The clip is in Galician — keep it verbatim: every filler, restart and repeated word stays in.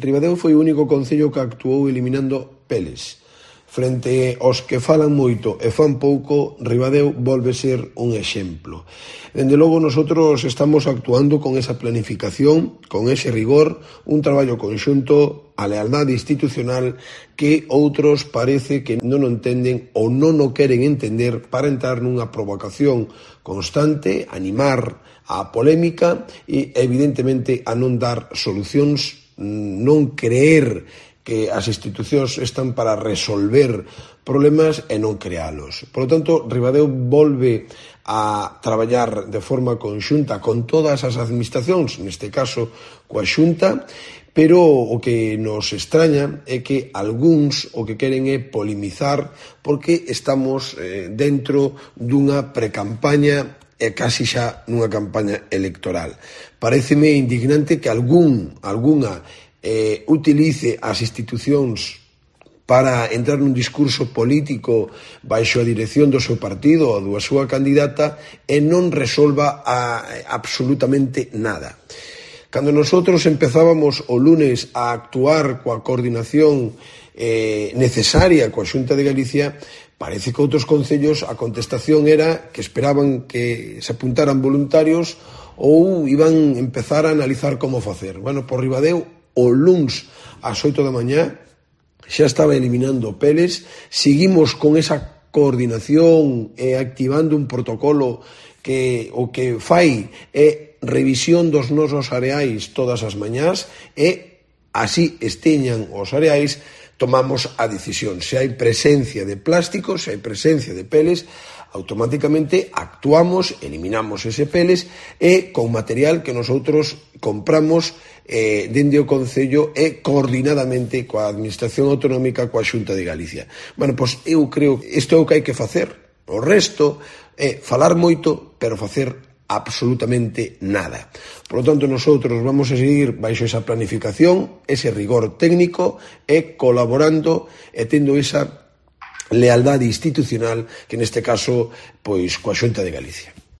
Ribadeo foi o único concello que actuou eliminando peles. Frente aos que falan moito e fan pouco, Ribadeo volve ser un exemplo. Dende logo, nosotros estamos actuando con esa planificación, con ese rigor, un traballo conxunto, a lealdade institucional que outros parece que non o entenden ou non o queren entender para entrar nunha provocación constante, animar a polémica e, evidentemente, a non dar solucións, non creer que as institucións están para resolver problemas e non crealos. Por lo tanto, Ribadeo volve a traballar de forma conxunta con todas as administracións, neste caso coa Xunta, pero o que nos extraña é que algúns o que queren é polemizar porque estamos eh, dentro dunha precampaña e casi xa nunha campaña electoral. Paréceme indignante que algún, algunha eh, utilice as institucións para entrar nun discurso político baixo a dirección do seu partido ou da súa candidata e non resolva a, absolutamente nada. Cando nosotros empezábamos o lunes a actuar coa coordinación eh, necesaria coa Xunta de Galicia, parece que outros concellos a contestación era que esperaban que se apuntaran voluntarios ou iban empezar a analizar como facer. Bueno, por Ribadeo, o luns ás oito da mañá xa estaba eliminando peles, seguimos con esa coordinación e activando un protocolo que o que fai é revisión dos nosos areais todas as mañás e así esteñan os areais, tomamos a decisión. Se hai presencia de plásticos, se hai presencia de peles, automáticamente actuamos, eliminamos ese peles e con material que nosotros compramos eh, dende o Concello e coordinadamente coa Administración Autonómica, coa Xunta de Galicia. Bueno, pois eu creo que isto é o que hai que facer. O resto é falar moito, pero facer absolutamente nada. Por lo tanto, nosotros vamos a seguir baixo esa planificación, ese rigor técnico e colaborando e tendo esa lealdade institucional que neste caso, pois, coa Xunta de Galicia.